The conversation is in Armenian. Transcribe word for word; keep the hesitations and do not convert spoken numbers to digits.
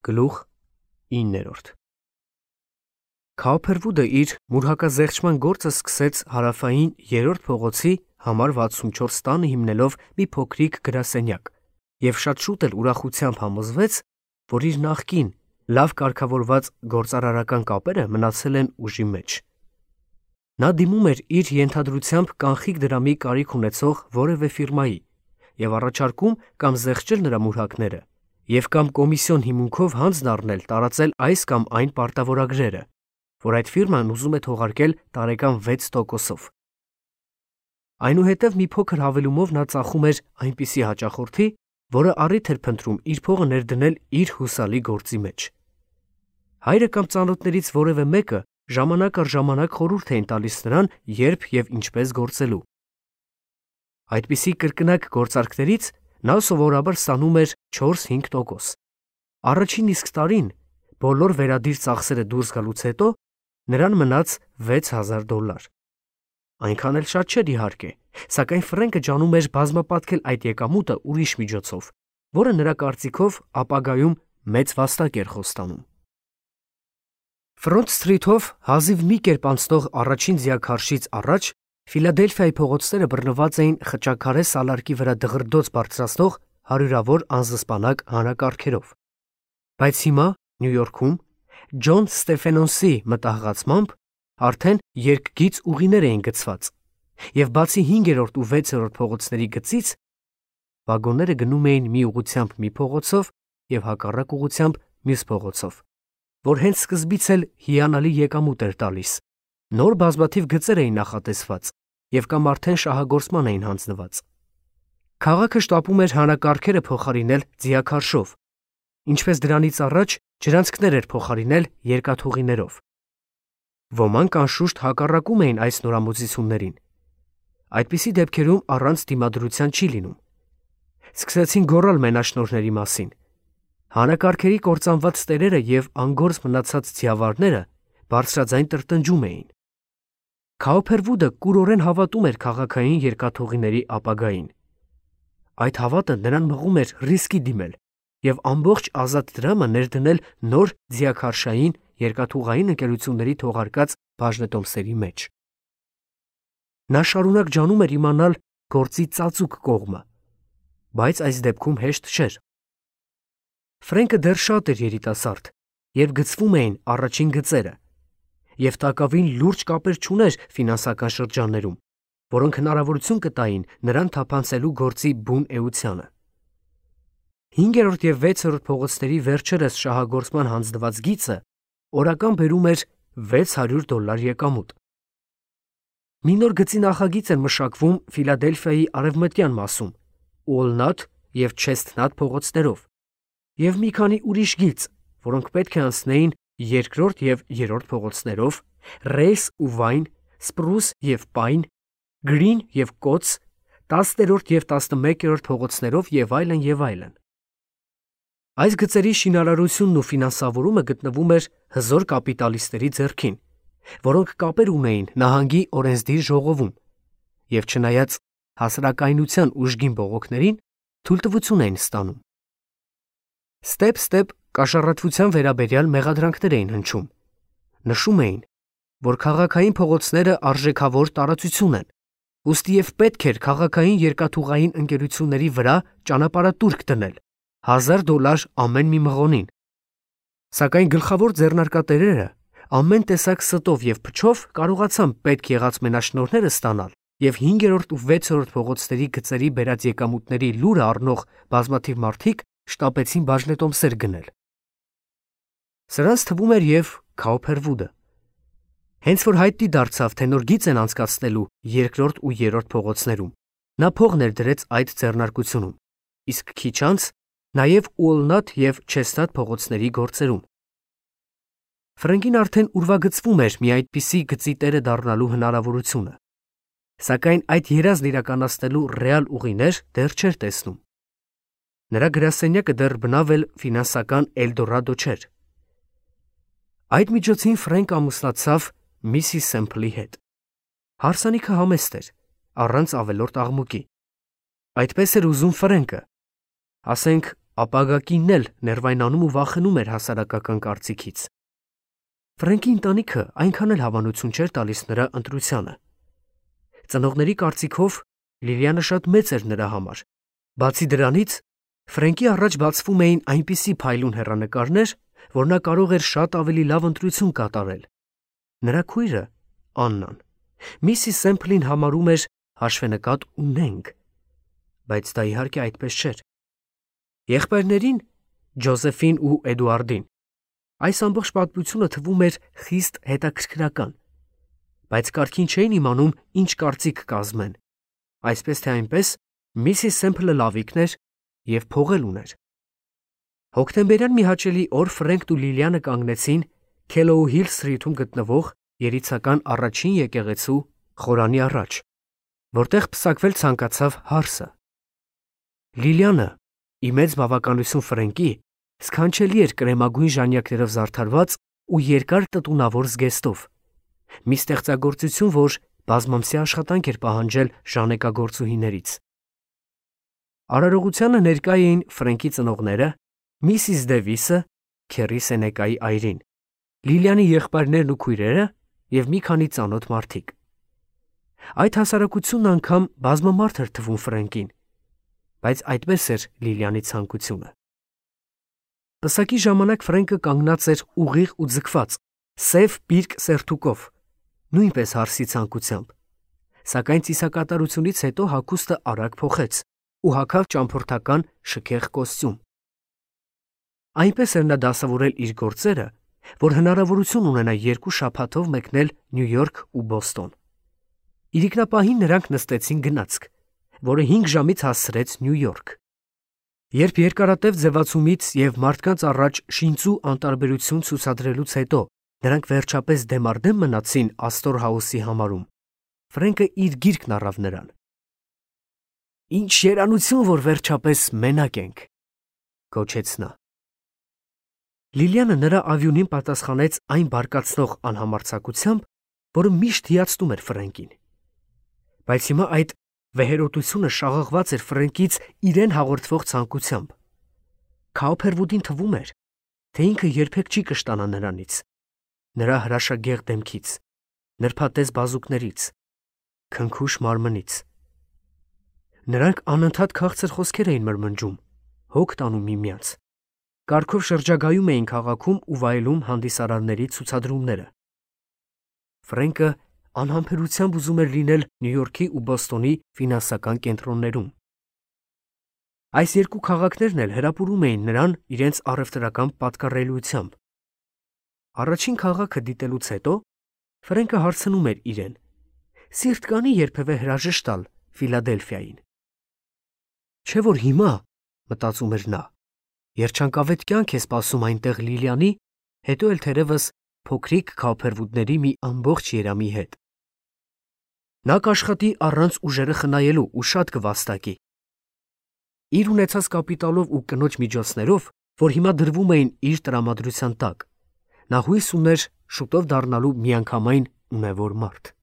Գլուխ իններորդ Քաոփերվուդը իր մուրհակազեղչման գործը սկսեց հարավային երրորդ փողոցի համար վաթսունչորս տանը հիմնելով մի փոքրիկ գրասենյակ և շատ շուտ էլ ուրախությամբ համոզվեց, որ իր նախկին լավ կարգավորված գործարարական կապերը մնացել են ուժի մեջ։ Նա դիմում էր իր ենթադրությամբ կանխիկ դրամի կարիք ունեցող որևէ ֆիրմայի և առաջարկում կամ զեղչել նրա մուրհակները և կամ կոմիսիոն հիմունքով հանձն առնել տարածել այս կամ այն պարտավորագրերը, որ այդ ֆիրման ուզում է թողարկել տարեկան վեց տոկոսով։ Այնուհետև մի փոքր հավելումով նա ծախում էր այնպիսի հաճախորդի, որը առիթ էր փնտրում իր փողը ներդնել իր հուսալի գործի մեջ։ Հայրը կամ ծանոթներից որևէ մեկը ժամանակ առ ժամանակ խորհուրդ էին տալիս նրան, երբ և ինչպես գործելու։ Այդպիսի կրկնակ գործարքներից նա սովորաբար ստանում էր չորս-հինգ տոկոս։ Առաջին իսկ տարին, բոլոր վերադիր ծախսերը դուրս գալուց հետո, նրան մնաց վեց հազար դոլար։ Այնքան էլ շատ չէր իհարկե, սակայն Ֆրենկը ջանում էր բազմապատկել այդ եկամուտը ուրիշ միջոցով, որը նրա կարծիքով ապագայում մեծ վաստակ էր խոստանում։ Ֆրոնտ Սթրիթով հազիվ մի կերպ անցնող առաջին ձիաքարշից առաջ Ֆիլադելֆիայի փողոցները բռնված էին խճաքարե սալարկի վրա դղրդոց բարձրացնող հարյուրավոր անզսպանակ հանրակարգերով։ Բայց հիմա Նյու Յորքում Ջոն Ստեֆենոնսի մտահղացմամբ արդեն երկգիծ ուղիներ էին գծված, և բացի հինգերորդ ու վեցերորդ փողոցների գծից, վագոնները գնում էին մի ուղղությամբ մի փողոցով և հակառակ ուղղությամբ մյուս փողոցով, որ հենց սկզբից էլ հիանալի եկամուտ էր տալիս։ Նոր բազմաթիվ գծեր էին նախատեսված և կամ արդեն շահագործման էին հանձնված։ Քաղաքը շտապում էր հանրակարգերը փոխարինել ձիաքարշով, ինչպես դրանից առաջ ջրանցքներ էր փոխարինել երկաթուղիներով։ Ոմանք անշուշտ հակառակում էին այս նորամուծություններին։ Այդպիսի դեպքերում առանց դիմադրության չի լինում։ Սկսեցին գոռալ մենաշնորհների մասին։ Հանրակարգերի կործանված տերերը և անգործ մնացած ձիավարները բարձրաձայն տրտնջում էին։ Քաոփերվուդը կուրորեն հավատում էր քաղաքային երկաթուղիների ապագային։ Այդ հավատը նրան մղում էր ռիսկի դիմել և ամբողջ ազատ դրամը ներդնել նոր ձիաքարշային երկաթուղային ընկերությունների թողարկած բաժնետոմսերի մեջ։ Նա շարունակ ջանում էր իմանալ գործի ծածուկ կողմը, բայց այս դեպքում հեշտ չէր։ Ֆրենկը դեռ շատ էր երիտասարդ, երբ գծվում էին առաջին գծերը, և տակավին լուրջ կապեր չուներ ֆինանսական շրջաններում, որոնք հնարավորություն կտային նրան թափանցելու գործի բուն էությանը։ Հինգերորդ և վեցերորդ փողոցների վերջերս շահագործման հանձնված գիծը օրական բերում էր վեց հարյուր դոլար եկամուտ։ Մի նոր գծի նախագիծ էր մշակվում Ֆիլադելֆիայի արևմտյան մասում Ուոլնաթ և Չեսթնաթ փողոցներով և մի քանի ուրիշ գիծ, որոնք պետք է անցնեին երկրորդ և երրորդ փողոցներով, Ռեյս ու Վայն, Սպրուս և Պայն, Գրին և Կոց, տասներորդ և տասնմեկերորդ փողոցներով և այլն, և այլն։ Այս գծերի շինարարությունն ու ֆինանսավորումը գտնվում էր հզոր կապիտալիստների ձեռքին, որոնք կապեր ունեին նահանգի օրենսդիր ժողովում և չնայած հասարակայնության ուժգին բողոքներին, թույլտվություն էին ստանում։ Ստեպ-ստեպ կաշառատվության վերաբերյալ մեղադրանքներ էին հնչում։ Նշում էին, որ քաղաքային փողոցները արժեքավոր տարածություն են, ուստի և պետք էր քաղաքային երկաթուղային ընկերությունների վրա ճանապարհատուրք դնել, հազար դոլար ամեն մի մղոնին։ Սակայն գլխավոր ձեռնարկատերերը ամեն տեսակ ստով և փչով կարողացան պետք եղած մենաշնորհները ստանալ և հինգերորդ ու վեցերորդ փողոցների գծերի բերած եկամուտների լուրը առնող բազմաթիվ մարդիկ շտապեցին բաժնետոմսեր գնել։ Սրանց թվում էր և Քաոփերվուդը։ Հենց որ հայտնի դարձավ, թե նոր գիծ են անցկացնելու երկրորդ ու երրորդ փողոցներում, նա փող ներդրեց այդ ձեռնարկությունում, իսկ քիչ անց նաև Ուոլնաթ և Չեսթնաթ փողոցների գործերում։ Ֆրենկին արդեն ուրվագծվում էր մի այդպիսի գծի տերը դառնալու հնարավորությունը, սակայն այդ երազն իրականացնելու ռեալ ուղիներ դեռ չէր տեսնում։ Նրա գրասենյակը դեռ բնավ էլ ֆինանսական Էլդորադո չէր։ Այդ միջոցին Ֆրենկը ամուսնացավ Միսիս Սեմփլի հետ։ Հարսանիքը համեստ էր, առանց ավելորդ աղմուկի։ Այդպես էր ուզում Ֆրենկը, ասենք ապագակինն էլ ներվայնանում ու վախենում էր հասարակական կարծիքից։ Ֆրենկի ընտանիքը այնքան էլ հավանություն չէր տալիս նրա ընտրությանը։ Ծնողների կարծիքով Լիլիանը շատ մեծ էր նրա համար։ Բացի դրանից, Ֆրենկի առաջ բացվում էին այնպիսի փայլուն հեռանկարներ, որ նա կարող էր շատ ավելի լավ ընտրություն կատարել։ Նրա քույրը, Աննան, Միսիս Սեմփլին համարում էր հաշվենկատ ունենք, բայց դա իհարկե այդպես չէր։ Եղբայրներին, Ջոզեֆին ու Էդուարդին, այս ամբողջ պատմությունը թվում էր խիստ հետաքրքրական, բայց կարգին չէին իմանում ինչ կարծիք կազմեն։ Այսպես թե այնպես, Միսիս Սեմփլը լավիկն էր և փող էլ ուներ։ Հոկտեմբերյան մի հաճելի օր Ֆրենքն ու Լիլիանը կանգնեցին Քելոու Հիլ Սթրիթում գտնվող երիցական առաջին եկեղեցու խորանի առաջ, որտեղ պսակվել ցանկացավ հարսը։ Լիլիանը, ի մեծ բավականություն Ֆրենկի, սքանչելի էր կրեմագույն ժանյակներով զարդարված ու երկար տտունավոր զգեստով, մի ստեղծագործություն, որ բազմամսյա աշխատանք էր պահանջել ժանեկագործուհիներից։ Արարողությանը ներկա էին Ֆրենկի ծնողները, Միսիս Դևիսը, Քերի Սենեկայի այրին, Լիլիանի եղբայրներն ու քույրերը և մի քանի ծանոթ մարդիկ։ Այդ հասարակությունն անգամ բազմամարդ էր թվում Ֆրենկին, բայց այդպես էր Լիլիանի ցանկությունը։ Պսակի ժամանակ Ֆրենկը կանգնած էր ուղիղ ու ձգված, սև պիրկ սերթուկով, նույնպես հարսի ցանկությամբ, սակայն ծիսակատարությունից հետո հագուստը արագ փոխեց ու հագավ ճամփորդական շքեղ կոստյում։ Այնպես էր նա դասավորել իր գործերը, որ հնարավորություն ունենա երկու շաբաթով մեկնել Նյու Յորք ու Բոստոն։ Իրիկնապահին նրանք նստեցին գնացք, որը հինգ ժամից հասցրեց Նյու Յորք։ Երբ երկարատև ձևացումից և մարդկանց առաջ շինծու անտարբերություն ցուցադրելուց հետո նրանք վերջապես դեմառդեմ մնացին Ասթոր Հաուսի համարում, Ֆրենկը իր գիրկն առավ նրան։ «Ինչ երանություն, որ վերջապես մենակ ենք», գոչեց նա։ Լիլիանը նրա ավյունին պատասխանեց այն բարկացնող անհամարձակությամբ, որը միշտ հիացնում էր Ֆրենկին։ Բայց հիմա այդ վեհերոտությունը շաղաղված էր Ֆրենկից իրեն հաղորդվող ցանկությամբ։ Քաուփերվուդին թվում էր, թե ինքը երբեք չի կշտանա նրանից, նրա հրաշագեղ դեմքից, նրբատես բազուկներից, քնքուշ մարմնից։ Նրանք անընդհատ քաղցր խոսքեր էին մրմնջում, հոգ տանում միմյանց, կարգով շրջագայում էին քաղաքում ու վայելում հանդիսարարների ցուցադրումները։ Ֆրենկը անհամբերությամբ ուզում էր լինել Նյու Յորքի ու Բոստոնի ֆինանսական կենտրոններում։ Այս երկու քաղաքներն էլ հրապուրում էին նրան իրենց առևտրական պատկառելիությամբ։ Առաջին քաղաքը դիտելուց հետո Ֆրենկը հարցնում էր իրեն. սիրտ կանի երբևէ հրաժեշտ տալ Ֆիլադելֆիային։ Չէ՞ որ հիմա, մտածում էր նա, երջանկավետ կյանք է սպասում այնտեղ Լիլիանի, հետո էլ թերևս փոքրիկ Քաուփերվուդների մի ամբողջ երամի հետ։ Նա կաշխատի առանց ուժերը խնայելու ու շատ կվաստակի։ Իր ունեցած կապիտալով ու կնոջ միջոցներով, որ հիմա դրվում էին իր տրամադրության տակ, նա հույս ուներ շուտով դառնալու միանգամայն ունևոր մարդ։